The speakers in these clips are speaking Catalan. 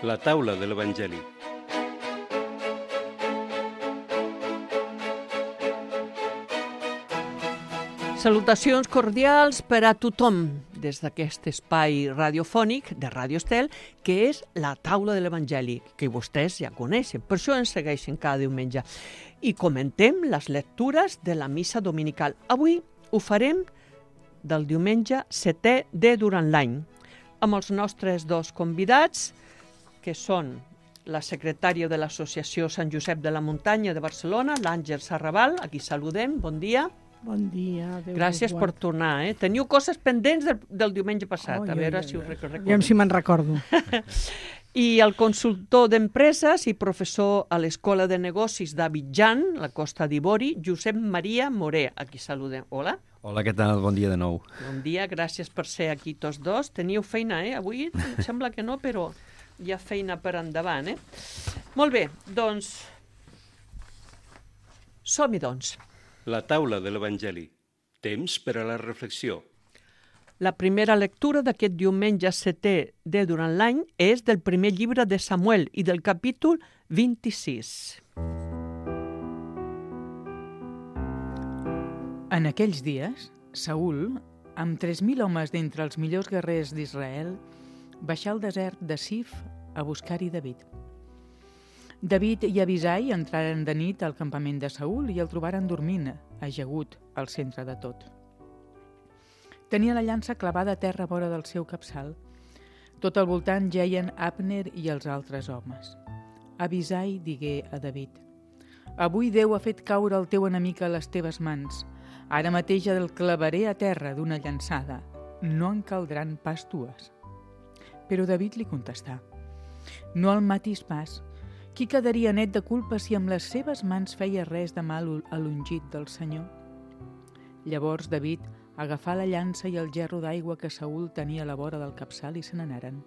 La taula de l'Evangeli. Salutacions cordials per a tothom des d'aquest espai radiofònic de Radio Estel, que és la taula de l'Evangeli, que vostès ja coneixen, per això ens segueixen cada diumenge. I comentem les lectures de la missa dominical. Avui ho farem del diumenge 7è de durant l'any, amb els nostres dos convidats, que són la secretària de l'Associació Sant Josep de la Muntanya de Barcelona, l'Àngel Sarrabal, a qui saludem, bon dia. Bon dia. Gràcies per tornar. Teniu coses pendents del diumenge passat, a veure si us recordeu. Aviam si me'n recordo. I el consultor d'empreses i professor a l'Escola de Negocis d'Abidjan, la Costa d'Ivori, Josep Maria Moré, a qui saludem. Hola. Hola, què tal? Bon dia de nou. Bon dia, gràcies per ser aquí tots dos. Teniu feina, Avui em sembla que no, però hi ha feina per endavant, Molt bé, doncs... Som-hi, doncs. La taula de l'Evangeli. Temps per a la reflexió. La primera lectura d'aquest diumenge 7è de durant l'any és del primer llibre de Samuel i del capítol 26. En aquells dies, Saül, amb 3.000 homes d'entre els millors guerrers d'Israel, baixà al desert de Sif a buscar-hi David. David i Abisai entraren de nit al campament de Saül i el trobaren dormint, ajagut, al centre de tot. Tenia la llança clavada a terra vora del seu capçal. Tot al voltant jeien Abner i els altres homes. Abisai digué a David: «Avui Déu ha fet caure el teu enemic a les teves mans. Ara mateix el clavaré a terra d'una llançada. No en caldran pas dues». Però David li contestà: «No el matis pas. Qui quedaria net de culpa si amb les seves mans feia res de mal a l'ungit del Senyor?» Llavors David agafà la llança i el gerro d'aigua que Saül tenia a la vora del capçal i se n'anaren.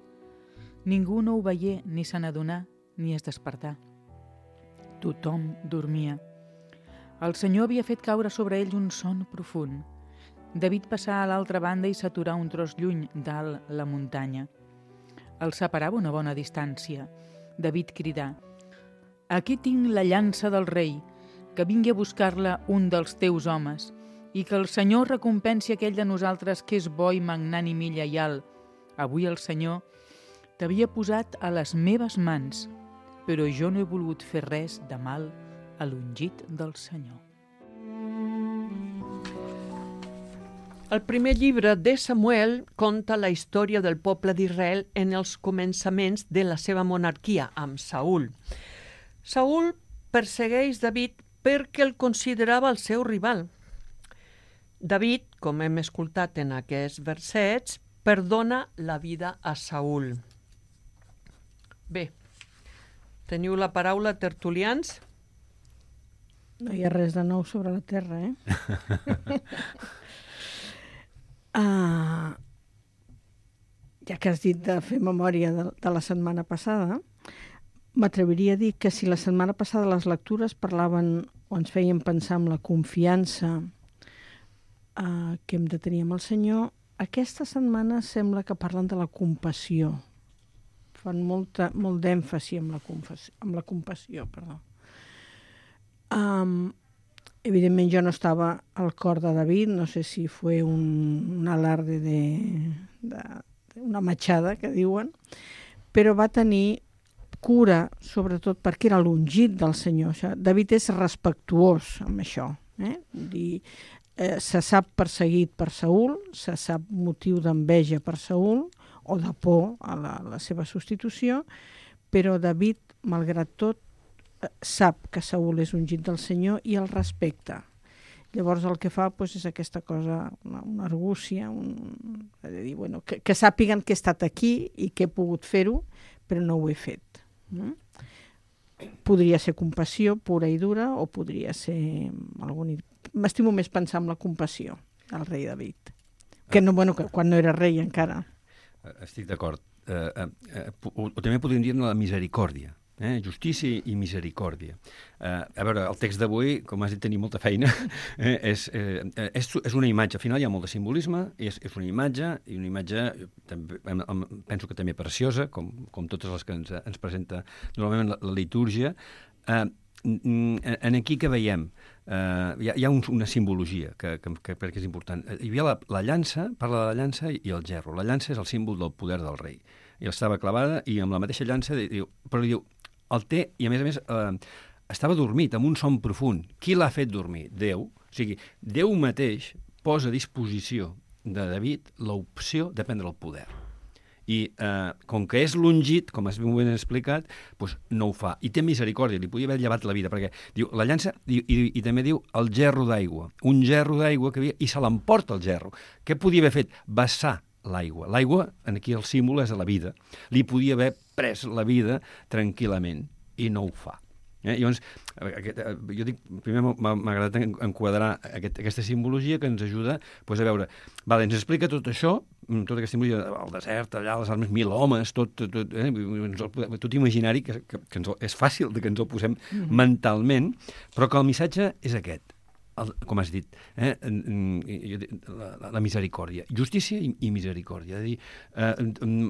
Ningú no ho veié, ni se n'adonà, ni es despertà. Tothom dormia. El Senyor havia fet caure sobre ells un son profund. David passà a l'altra banda i s'aturà un tros lluny, dalt la muntanya. El separava una bona distància. David cridà: «Aquí tinc la llança del rei, que vingui a buscar-la un dels teus homes, i que el Senyor recompensi aquell de nosaltres que és bo i magnànim i lleial. Avui el Senyor t'havia posat a les meves mans, però jo no he volgut fer res de mal a l'ungit del Senyor». El primer llibre de Samuel conta la història del poble d'Israel en els començaments de la seva monarquia, amb Saül. Saül persegueix David perquè el considerava el seu rival. David, com hem escoltat en aquests versets, perdona la vida a Saül. Bé, teniu la paraula, tertulians? No hi ha res de nou sobre la terra, Ja que has dit de fer memòria de la setmana passada, m'atreviria a dir que si la setmana passada les lectures parlaven o ens feien pensar en la confiança que hem de tenir amb el Senyor, aquesta setmana sembla que parlen de la compassió. Fan molt d'èmfasi amb la compassió. Evidentment jo no estava al cor de David, no sé si fue un alarde una machada, que diuen, però va tenir cura, sobretot perquè era l'ungit del Senyor. David és respectuós amb això. Se sap perseguit per Saül, se sap motiu d'enveja per Saül, o de por a la seva substitució, però David, malgrat tot, sap que Saül és ungit del Senyor i el respecta. Llavors el que fa és aquesta cosa, una argúcia, de dir, que sàpiguen que he estat aquí i que he pogut fer-ho, però no ho he fet. Podria ser compassió pura i dura o podria ser m'estimo més pensar en la compassió del rei David, que quan no era rei encara. Estic d'acord. O també podríem dir la misericòrdia justícia i misericòrdia. A veure, el text d'avui, com has dit, tenim molta feina, és una imatge. Al final hi ha molt de simbolisme, és una imatge, i una imatge també, penso que també preciosa, com totes les que ens presenta normalment la litúrgia. En aquí que veiem? Hi ha una simbologia que crec que és important. Hi havia la llança, parla de la llança i el gerro. La llança és el símbol del poder del rei. I estava clavada i amb la mateixa llança però diu, el té, i a més estava dormit, amb un son profund. Qui l'ha fet dormir? Déu. O sigui, Déu mateix posa a disposició de David l'opció de prendre el poder. I com que és l'ungit, com has ben explicat, doncs no ho fa. I té misericòrdia, li podia haver llevat la vida, perquè diu, la llança, i també diu el gerro d'aigua. Un gerro d'aigua que havia, i se l'emporta el gerro. Què podia haver fet? Vessar l'aigua. L'aigua, aquí el símbol és de la vida. Li podia haver pres la vida tranquil·lament, i no ho fa. Llavors, jo dic, primer m'ha agradat enquadrar aquesta simbologia que ens ajuda a veure, ens explica tot això, tota aquesta simbologia, el desert, allà, les armes, 1.000 homes, tot imaginari, que és fàcil que ens el posem mentalment, però que el missatge és aquest, com has dit, la misericòrdia, justícia i misericòrdia. És a dir,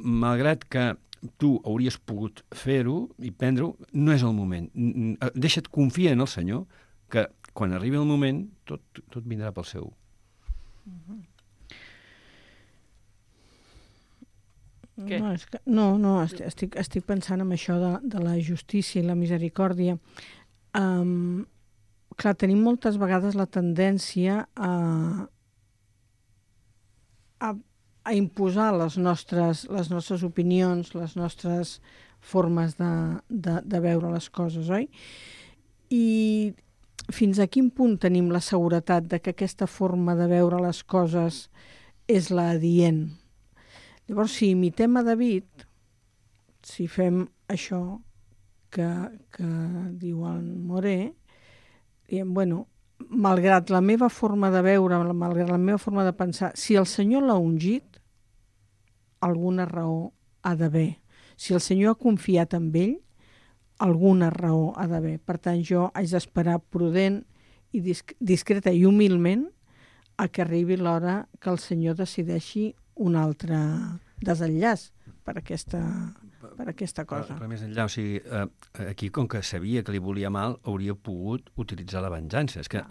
malgrat que tu hauries pogut fer-ho i prendre-ho, no és el moment. Deixa't confiar en el Senyor, que quan arribi el moment tot vindrà pel seu. Què? Estic pensant en això de la justícia i la misericòrdia. Clar, tenim moltes vegades la tendència a imposar les nostres opinions, les nostres formes de veure les coses, oi? I fins a quin punt tenim la seguretat de que aquesta forma de veure les coses és la adient? Llavors, si imitem a David, si fem això que diu el Moré, diem, bueno, malgrat la meva forma de veure, malgrat la meva forma de pensar, si el Senyor l'ha ungit, alguna raó ha d'haver. Si el Senyor ha confiat en ell, alguna raó ha d'haver. Per tant, jo haig d'esperar prudent i discreta i humilment a que arribi l'hora que el Senyor decideixi un altre desenllaç per aquesta cosa. Però més enllà, o sigui, aquí, com que sabia que li volia mal, hauria pogut utilitzar la venjança. És que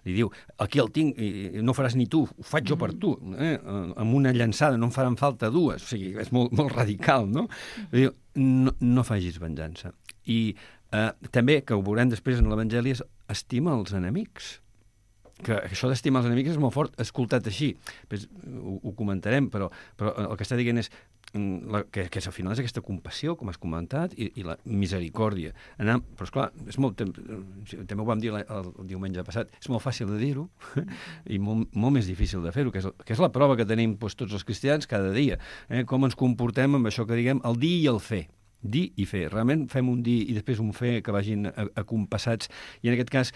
li diu, aquí el tinc, i no faràs ni tu, ho faig jo per tu. Amb una llançada no em faran falta dues. O sigui, és molt, molt radical, no? Diu, no facis venjança. I també, que ho veurem després en l'Evangeli, és estima els enemics. Que això d'estimar els enemics és molt fort, escoltat així. Després ho comentarem, però el que està dient és que al final és aquesta compassió, com has comentat, i la misericòrdia. Però, esclar, és molt, també ho vam dir el diumenge passat, és molt fàcil de dir-ho i molt més difícil de fer-ho, que és la prova que tenim tots els cristians cada dia. Com ens comportem amb això que diguem el dir i el fer. Dir i fer. Realment fem un dir i després un fer que vagin acompassats. I en aquest cas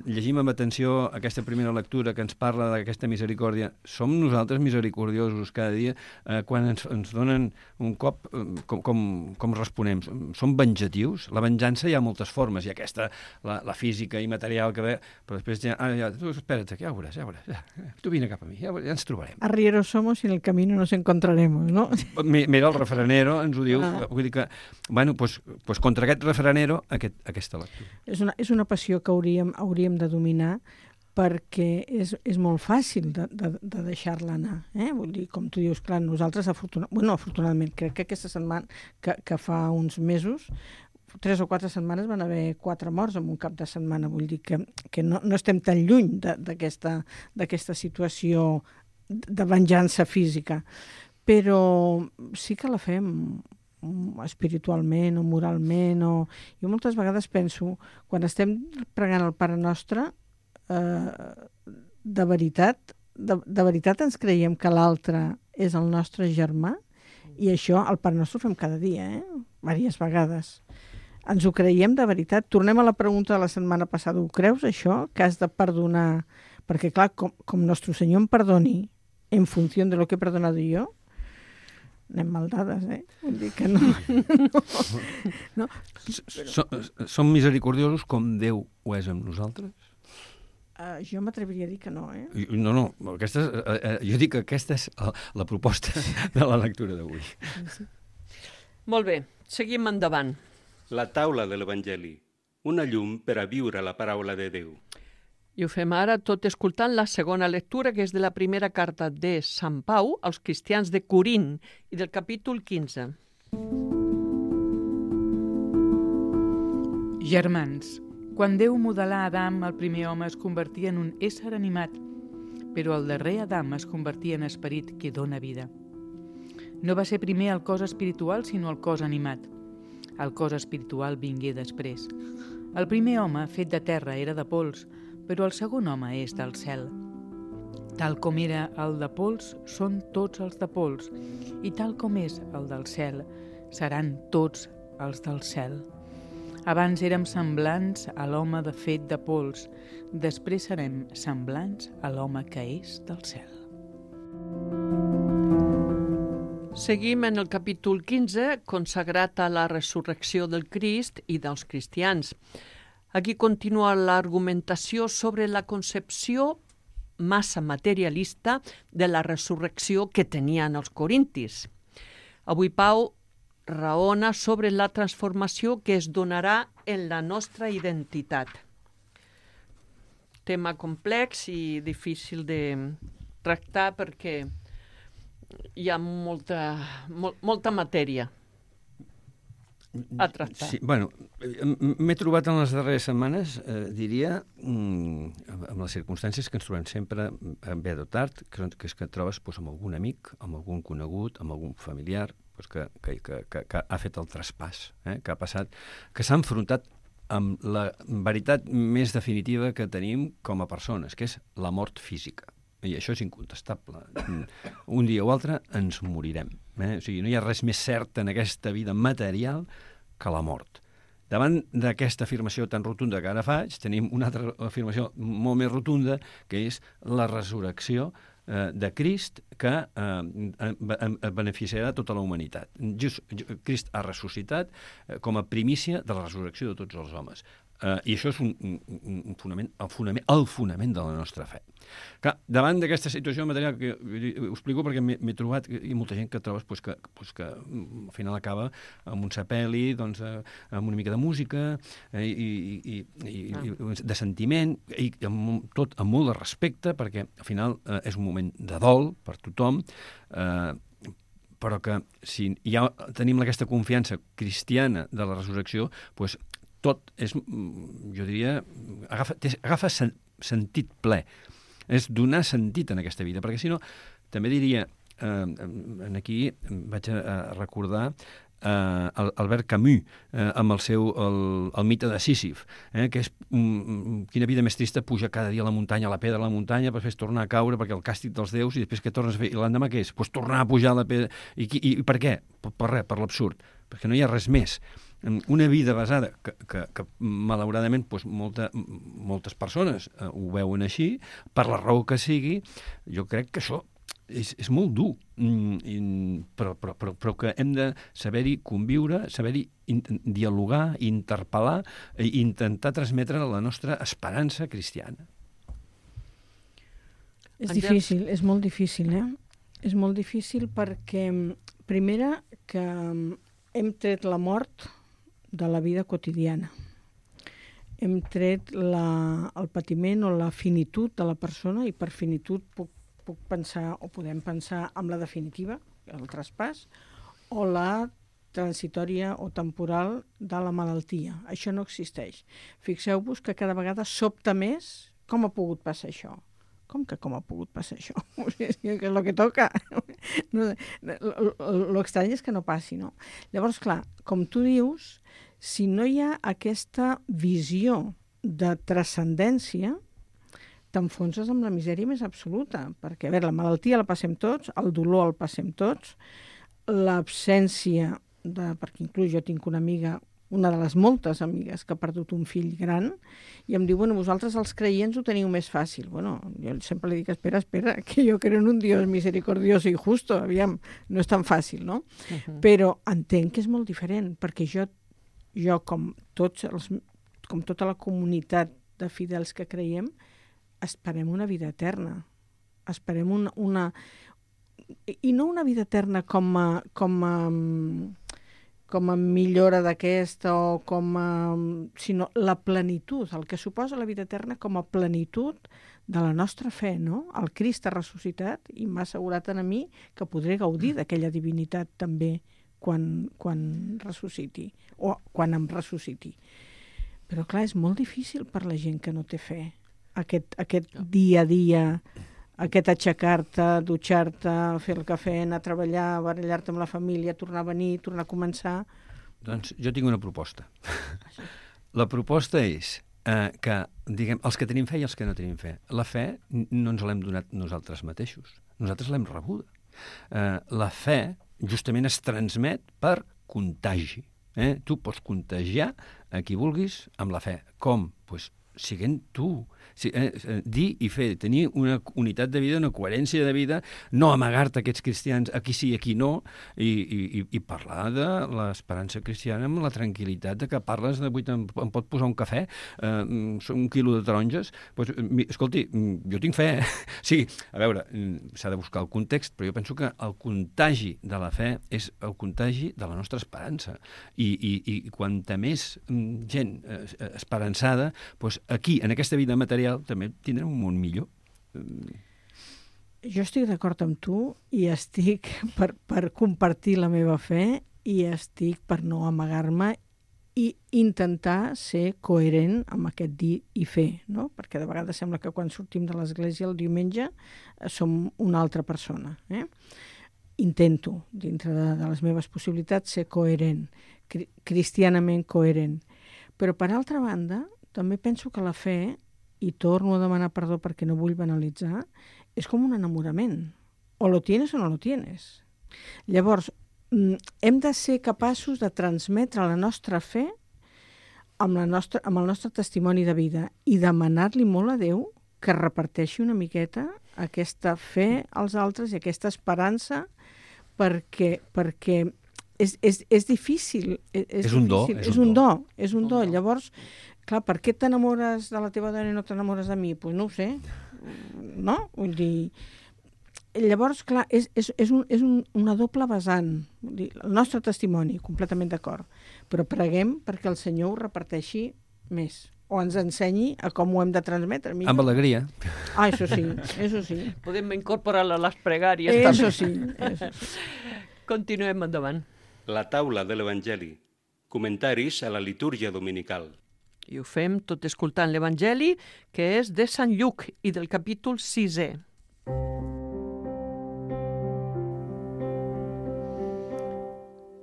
llegim amb atenció aquesta primera lectura que ens parla d'aquesta misericòrdia. Som nosaltres misericordiosos cada dia quan ens donen un cop, com responem? Som vengatius? La venjança hi ha moltes formes. Hi ha aquesta, la física i material que ve, però després tu espera't, ja ho veuràs. Tu vine cap a mi, ja ens trobarem. Arrieros somos y en el camino nos encontraremos, ¿no? Mira, el refranero ens ho diu. Vull dir que, bueno, doncs contra aquest refranero, aquesta lectura. És una passió que hauríem de dominar perquè és molt fàcil de deixar-la anar. Vull dir, com tu dius, clar, nosaltres afortunadament, crec que aquesta setmana, que fa uns mesos, 3 o 4 setmanes van haver 4 morts en un cap de setmana. Vull dir que no estem tan lluny d'aquesta situació de venjança física. Però sí que la fem espiritualment o moralment. Jo moltes vegades penso, quan estem pregant el Pare Nostre, de veritat ens creiem que l'altre és el nostre germà? I això, el Pare Nostre ho fem cada dia, diverses vegades. Ens ho creiem de veritat? Tornem a la pregunta de la setmana passada. Ho creus, això, que has de perdonar? Perquè, clar, com Nostre Senyor em perdoni en funció de lo que he perdonado yo, anem mal dades, Vull dir que no. No. Som misericordiosos com Déu ho és amb nosaltres? Jo m'atreviria a dir que no, No, jo dic que aquesta és la proposta de la lectura d'avui. Molt bé, seguim endavant. La taula de l'Evangeli, una llum per a viure la paraula de Déu. I ho fem ara tot escoltant la segona lectura, que és de la primera carta de Sant Pau als cristians de Corint i del capítol 15. Germans, quan Déu modelà Adam, el primer home es convertia en un ésser animat, però el darrer Adam es convertia en esperit que dona vida. No va ser primer el cos espiritual, sinó el cos animat. El cos espiritual vingué després. El primer home, fet de terra, era de pols, però el segon home és del cel. Tal com era el de pols, són tots els de pols, i tal com és el del cel, seran tots els del cel. Abans érem semblants a l'home de fet de pols, després serem semblants a l'home que és del cel. Seguim en el capítol 15, consagrat a la resurrecció del Crist i dels cristians. Aquí continua l'argumentació sobre la concepció massa materialista de la resurrecció que tenien els corintis. Avui Pau raona sobre la transformació que es donarà en la nostra identitat. Tema complex i difícil de tractar perquè hi ha molta matèria a tractar. Sí, bueno, m'he trobat en les darreres setmanes, diria, amb les circumstàncies que ens trobem sempre bé o tard, que és que et trobes amb algun amic, amb algun conegut, amb algun familiar, que ha fet el traspàs, que ha passat, que s'ha enfrontat amb la veritat més definitiva que tenim com a persones, que és la mort física. I això és incontestable. Un dia o altre ens morirem. O sigui, no hi ha res més cert en aquesta vida material que la mort. Davant d'aquesta afirmació tan rotunda que ara faig, tenim una altra afirmació molt més rotunda, que és la resurrecció de Crist que beneficiarà tota la humanitat. Crist ha ressuscitat com a primícia de la resurrecció de tots els homes. I això és un fonament, el fonament de la nostra fe. Clar, davant d'aquesta situació material, que ho explico perquè m'he trobat, i molta gent que trobes que al final acaba amb un sepeli, amb una mica de música i de sentiment, i tot amb molt de respecte, perquè al final és un moment de dol per tothom, però que si ja tenim aquesta confiança cristiana de la resurrecció, doncs tot és, jo diria, agafa sentit ple. És donar sentit en aquesta vida, perquè si no, també diria, aquí vaig a recordar Albert Camus, amb el seu el mite de Sísif, que és quina vida més trista pujar cada dia a la muntanya, a la pedra de la muntanya, per després tornar a caure perquè el càstig dels déus, i després què tornes a fer? I l'endemà què és? Doncs tornar a pujar a la pedra. I per què? Per res, per l'absurd. Perquè no hi ha res més. Una vida basada, que malauradament moltes persones ho veuen així, per la raó que sigui, jo crec que això és molt dur, però que hem de saber-hi conviure, saber-hi dialogar, interpel·lar i intentar transmetre la nostra esperança cristiana. És difícil, és molt difícil, És molt difícil perquè, primera, que hem tret la mort de la vida quotidiana. Hem tret el patiment o la finitud de la persona, i per finitud puc pensar, o podem pensar en la definitiva, el traspàs, o la transitòria o temporal de la malaltia. Això no existeix. Fixeu-vos que cada vegada sobta més com ha pogut passar això. Com ha pogut passar això? Que és el que toca. L'estrany és que no passi, no? Llavors, clar, com tu dius, si no hi ha aquesta visió de transcendència, t'enfonses amb la misèria més absoluta, perquè, a veure, la malaltia la passem tots, el dolor el passem tots, l'absència perquè inclús jo tinc una amiga una de les moltes amigues que ha perdut un fill gran, i em diu, bueno, vosaltres els creients ho teniu més fàcil. Bueno, jo sempre li dic, espera, que jo creo en un Dios misericordioso i justo, aviam, no és tan fàcil, no? Però entenc que és molt diferent, perquè jo com tota la comunitat de fidels que creiem, esperem una vida eterna. Esperem una... I no una vida eterna com a millora d'aquesta o sinó la plenitud, el que suposa la vida eterna com a plenitud de la nostra fe, no? El Crist ha ressuscitat i m'ha assegurat a mi que podré gaudir d'aquella divinitat també quan ressusciti o quan em ressusciti. Però clar, és molt difícil per la gent que no té fe. Aquest dia a dia, aquest aixecar-te, dutxar-te, fer el cafè, anar a treballar, barallar-te amb la família, tornar a venir, tornar a començar... Doncs jo tinc una proposta. La proposta és que, diguem, els que tenim fe i els que no tenim fe. La fe no ens l'hem donat nosaltres mateixos. Nosaltres l'hem rebuda. La fe justament es transmet per contagi. Tu pots contagiar a qui vulguis amb la fe. Com? Doncs siguent tu. Dir i fer, tenir una unitat de vida, una coherència de vida, no amagar-te aquests cristians, aquí sí i aquí no, i parlar de l'esperança cristiana amb la tranquil·litat de que parles de em pot posar un cafè, un quilo de taronges, doncs, escolti, jo tinc fe. Sí, a veure, s'ha de buscar el context, però jo penso que el contagi de la fe és el contagi de la nostra esperança, i quanta més gent esperançada, doncs aquí, en aquesta vida material, també tindrem un món millor. Jo estic d'acord amb tu i estic per compartir la meva fe i estic per no amagar-me i intentar ser coherent amb aquest dir i fer, no? Perquè de vegades sembla que quan sortim de l'església el diumenge som una altra persona. Intento, dintre de les meves possibilitats, ser coherent, cristianament coherent. Però, per altra banda, també penso que la fe, i torno a demanar perdó perquè no vull banalitzar, és com un enamorament. O lo tienes o no lo tienes. Llavors, hem de ser capaços de transmetre la nostra fe amb el nostre testimoni de vida i demanar-li molt a Déu que reparteixi una miqueta aquesta fe als altres i aquesta esperança perquè és difícil. És un do. És un do. Llavors, clar, per què t'enamores de la teva dona i no t'enamores de mi? Doncs no ho sé, no? Vull dir, llavors, clar, és una doble vessant. Vull dir, el nostre testimoni, completament d'acord, però preguem perquè el Senyor ho reparteixi més, o ens ensenyi a com ho hem de transmetre. Amb alegria. Això sí. Podem incorporar-la a les pregàries. Això sí. Continuem endavant. La taula de l'Evangeli. Comentaris a la litúrgia dominical. I ho fem tot escoltant l'Evangeli, que és de Sant Lluc i del capítol 6è.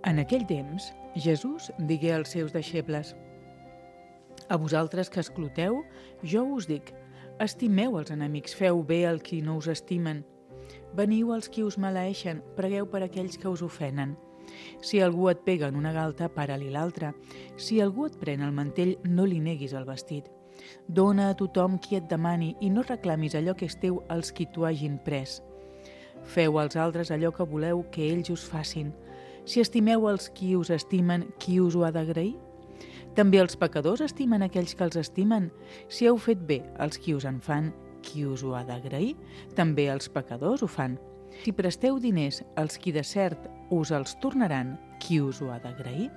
En aquell temps, Jesús digué als seus deixebles: a vosaltres que escluteu, jo us dic, estimeu els enemics, feu bé al qui no us estimen. Veniu als qui us maleeixen, pregueu per aquells que us ofenen. Si algú et pega en una galta, para-li l'altra. Si algú et pren el mantell, no li neguis el vestit. Dóna a tothom qui et demani i no reclamis allò que és teu als qui t'ho hagin pres. Feu als altres allò que voleu que ells us facin. Si estimeu els qui us estimen, qui us ho ha d'agrair? També els pecadors estimen aquells que els estimen. Si heu fet bé als qui us en fan, qui us ho ha d'agrair? També els pecadors ho fan. Si presteu diners als qui de cert us els tornaran, qui us ho ha d'agrair?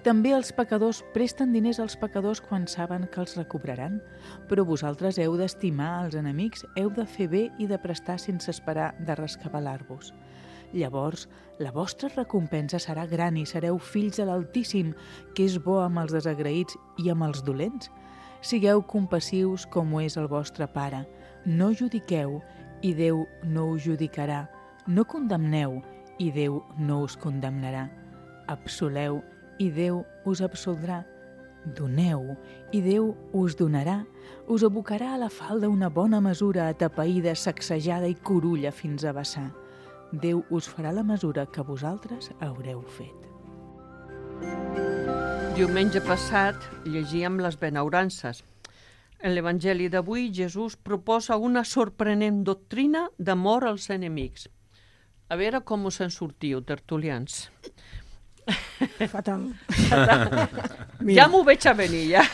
També els pecadors presten diners als pecadors quan saben que els recobraran. Però vosaltres heu d'estimar els enemics, heu de fer bé i de prestar sense esperar de rescabalar-vos. Llavors, la vostra recompensa serà gran i sereu fills de l'Altíssim, que és bo amb els desagraïts i amb els dolents. Sigueu compassius com ho és el vostre Pare. No judiqueu i Déu no us judicarà. No condemneu i Déu no us condemnarà. Absoleu i Déu us absoldrà. Doneu i Déu us donarà. Us abocarà a la falda una bona mesura atapeïda, sacsejada i curulla fins a vessar. Déu us farà la mesura que vosaltres haureu fet. Diumenge passat llegíem les benaurances. En l'Evangeli d'avui, Jesús proposa una sorprenent doctrina d'amor als enemics. A veure com us en sortiu, tertulians. Fatal. Ja m'ho veig a venir, ja.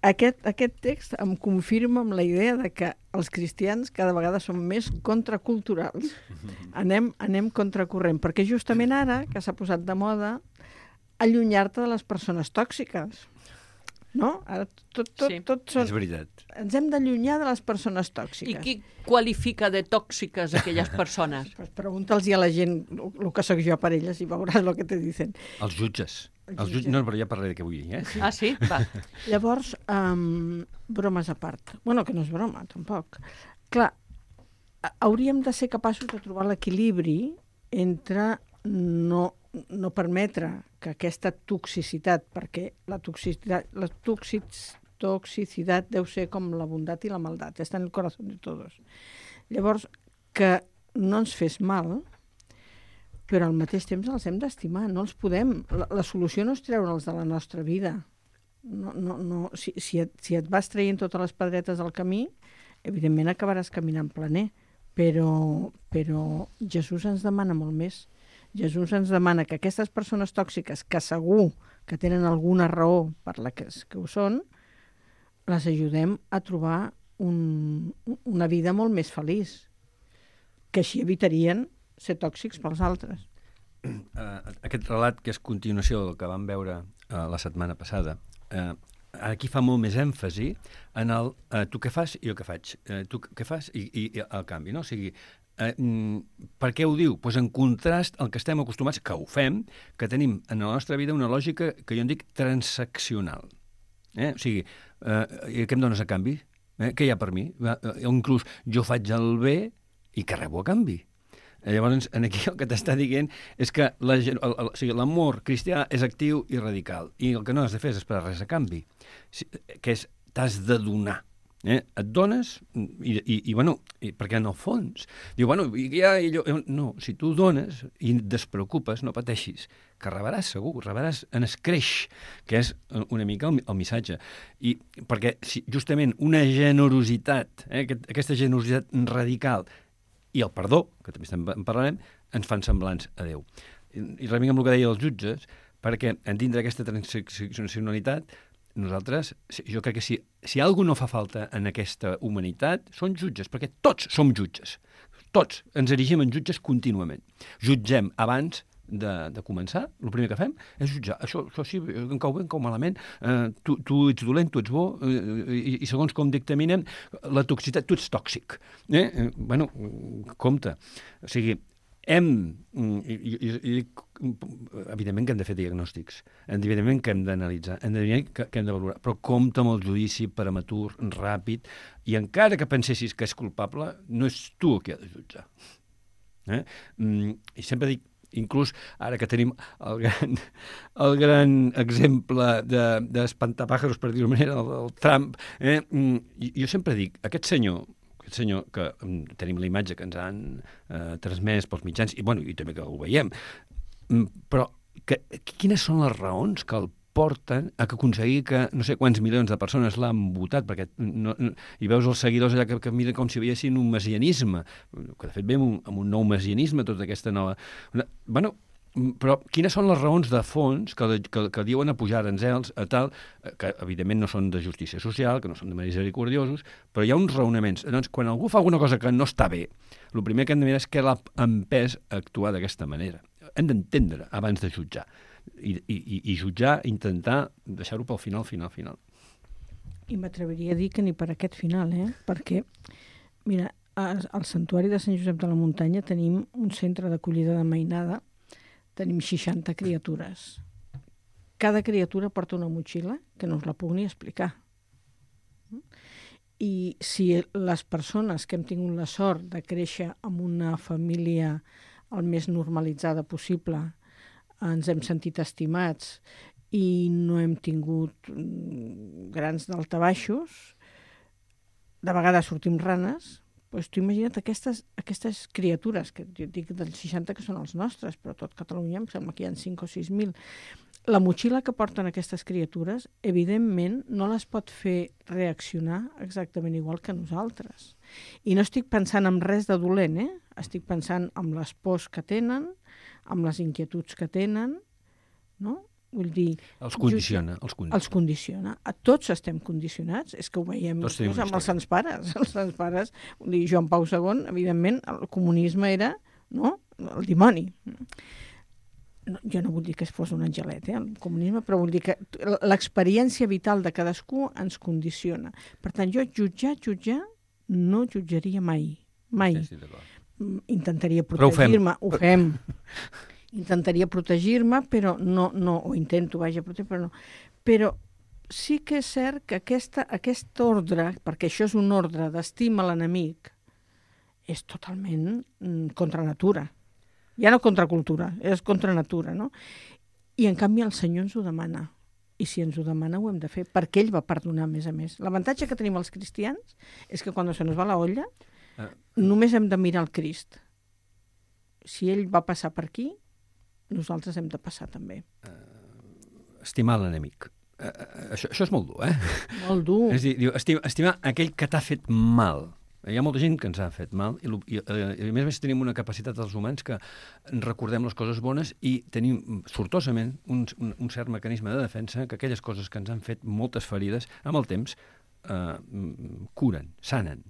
Aquest text em confirma amb la idea de que els cristians cada vegada són més contraculturals. Anem contracorrent, perquè justament ara, que s'ha posat de moda, allunyar-te de les persones tòxiques. No? Ara tot són... És veritat. Ens hem d'allunyar de les persones I tòxiques. qui qualifica de tòxiques aquelles persones? Pues pregunta'ls a la gent el que sóc jo per elles i veuràs el que te dicen. Els jutges. No, però ja parlaré de què vull dir, eh? Ah, sí? Va. Llavors, bromes a part. Bueno, que no és broma, tampoc. Clar, hauríem de ser capaços de trobar l'equilibri entre no permetre que aquesta toxicitat, perquè la toxicitat deu ser com la bondat i la maldat, està en el corazón de todos. Llavors, que no ens fes mal, però al mateix temps els hem d'estimar, no els podem. La solució no és treure'ls de la nostra vida. Si et vas traient totes les pedretes al camí, evidentment acabaràs caminant planer, però Jesús ens demana molt més. Jesús ens demana que aquestes persones tòxiques, que segur que tenen alguna raó per la que ho són, les ajudem a trobar una vida molt més feliç, que així evitarien ser tòxics pels altres. Aquest relat, que és continuació del que vam veure la setmana passada, aquí fa molt més èmfasi en el tu què fas i jo què faig, tu què fas i el canvi, no? O sigui, per què ho diu? Pues en contrast al que estem acostumats, que ho fem, que tenim en la nostra vida una lògica que jo en dic transaccional. O sigui, què em dones a canvi? Què hi ha per mi? Inclús jo faig el bé i què rebo a canvi? Llavors, aquí el que t'està dient és que l'amor cristià és actiu i radical, i el que no has de fer és esperar res a canvi, que és t'has de donar. Et dones perquè en el fons diu, no, si tu dones i et despreocupes, no pateixis, que rebràs segur, rebràs en escreix, que és una mica el missatge. I perquè justament una generositat, aquesta generositat radical i el perdó, que també en parlarem, ens fan semblants a Déu. I reming amb el que deia els jutges, perquè en dintre aquesta transaccionalitat nosaltres, jo crec que si alguna no fa falta en aquesta humanitat, són jutges, perquè tots som jutges. Tots ens erigim en jutges contínuament. Jutgem abans de començar, el primer que fem és jutjar. Això sí, em cau bé, em cau malament, tu ets dolent, tu ets bo, i segons com dictaminem la toxicitat, tu ets tòxic. Compte. O sigui, evidentment que hem de fer diagnòstics, evidentment que hem d'analitzar, evidentment que hem de valorar, però compte amb el judici prematur, ràpid, i encara que pensessis que és culpable, no és tu el que ha de jutjar. I sempre dic, inclús ara que tenim el gran exemple d'espantapàjaros, per dir-ho manera, el Trump, jo sempre dic, aquest senyor que tenim la imatge que ens han transmès pels mitjans, i també que ho veiem, però quines són les raons que el porten a aconseguir que no sé quants milions de persones l'han votat, perquè i veus els seguidors allà que miren com si veiessin un messianisme, que de fet veiem amb un nou messianisme, tota aquesta nova... Però quines són les raons de fons que diuen a pujar aranzels a tal, que evidentment no són de justícia social, que no són de misericordiosos, però hi ha uns raonaments. Doncs quan algú fa alguna cosa que no està bé, el primer que hem de mirar és què l'ha empès a actuar d'aquesta manera. Hem d'entendre abans de jutjar. I jutjar, intentar deixar-ho pel final. I m'atreviria a dir que ni per aquest final, perquè, mira, al Santuari de Sant Josep de la Muntanya tenim un centre d'acollida de mainada. Tenim 60 criatures. Cada criatura porta una motxilla que no us la puc ni explicar. I si les persones que hem tingut la sort de créixer en una família el més normalitzada possible, ens hem sentit estimats i no hem tingut grans daltabaixos, de vegades sortim ranes, doncs tu imagina't aquestes criatures, que jo dic dels 60 que són els nostres, però tot Catalunya em sembla que hi ha 5 o 6.000. la motxilla que porten aquestes criatures, evidentment, no les pot fer reaccionar exactament igual que nosaltres. I no estic pensant en res de dolent, Estic pensant en les pors que tenen, amb les inquietuds que tenen, no? Vull dir... Els condiciona. Els condiciona. Tots estem condicionats. És que ho veiem amb els Sants Pares. Els Sants Pares, vull dir, Joan Pau II, evidentment, el comunisme era, no?, el dimoni. No, jo no vull dir que fos un angelet, el comunisme, però vull dir que l'experiència vital de cadascú ens condiciona. Per tant, jo jutjar, no jutjaria mai. Mai. Sí, d'acord. Intentaria protegir-me, ho fem. Intentaria protegir-me, però no, o intento, protegir, però no. Però sí que és cert que aquest ordre, perquè això és un ordre d'estima a l'enemic, és totalment contra natura. Ja no contra cultura, és contra natura, no? I en canvi el Senyor ens ho demana. I si ens ho demana ho hem de fer, perquè ell va perdonar a més. L'avantatge que tenim els cristians és que quan se nos va la olla només hem de mirar el Crist. Si ell va passar per aquí, nosaltres hem de passar també. Estimar l'enemic. Això és molt dur, Molt dur. És a dir, estimar aquell que t'ha fet mal. Hi ha molta gent que ens ha fet mal i a més tenim una capacitat dels humans que recordem les coses bones i tenim sortosament un cert mecanisme de defensa que aquelles coses que ens han fet moltes ferides amb el temps curen, sanen.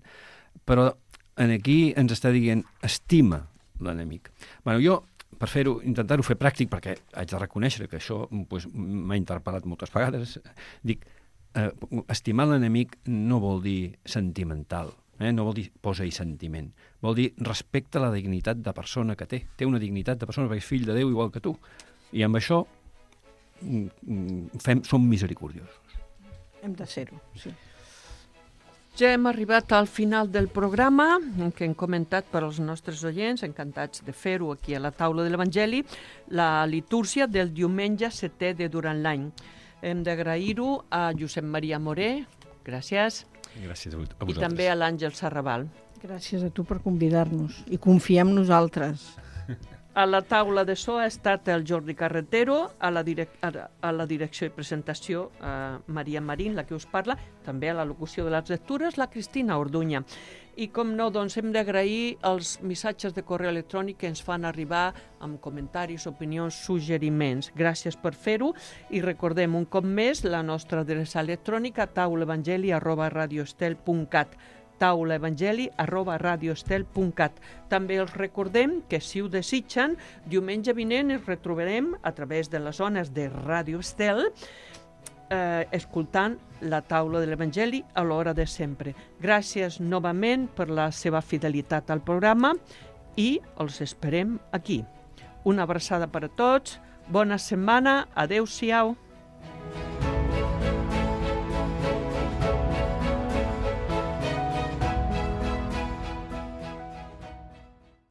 Però aquí ens està dient estima l'enemic. Jo, per fer-ho, intentar-ho fer pràctic, perquè haig de reconèixer que això m'ha interpel·lat moltes vegades, dic, estimar l'enemic no vol dir sentimental, no vol dir posa-hi sentiment, vol dir respecta la dignitat de persona que té. Té una dignitat de persona perquè és fill de Déu igual que tu. I amb això som misericordiosos. Hem de ser-ho, sí. Ja hem arribat al final del programa, que hem comentat per als nostres oients, encantats de fer-ho aquí a la taula de l'Evangeli, la litúrgia del diumenge 7è de durant l'any. Hem d'agrair-ho a Josep Maria Moré, gràcies. Gràcies a vosaltres. I també a l'Àngel Sarrabal. Gràcies a tu per convidar-nos i confiar en nosaltres. A la taula de so ha estat el Jordi Carretero, a la direcció i presentació Maria Marín, la que us parla, també a la locució de les lectures la Cristina Orduña. I com no, doncs hem d'agrair els missatges de correu electrònic que ens fan arribar amb comentaris, opinions, suggeriments. Gràcies per fer-ho i recordem un cop més la nostra adreça electrònica taulaevangeli@radioestel.cat taulaevangeli@radioestel.cat. També els recordem que, si ho desitgen, diumenge vinent ens retrobarem a través de les zones de Ràdio Estel escoltant la taula de l'Evangeli a l'hora de sempre. Gràcies novament per la seva fidelitat al programa i els esperem aquí. Una abraçada per a tots, bona setmana, adeu-siau.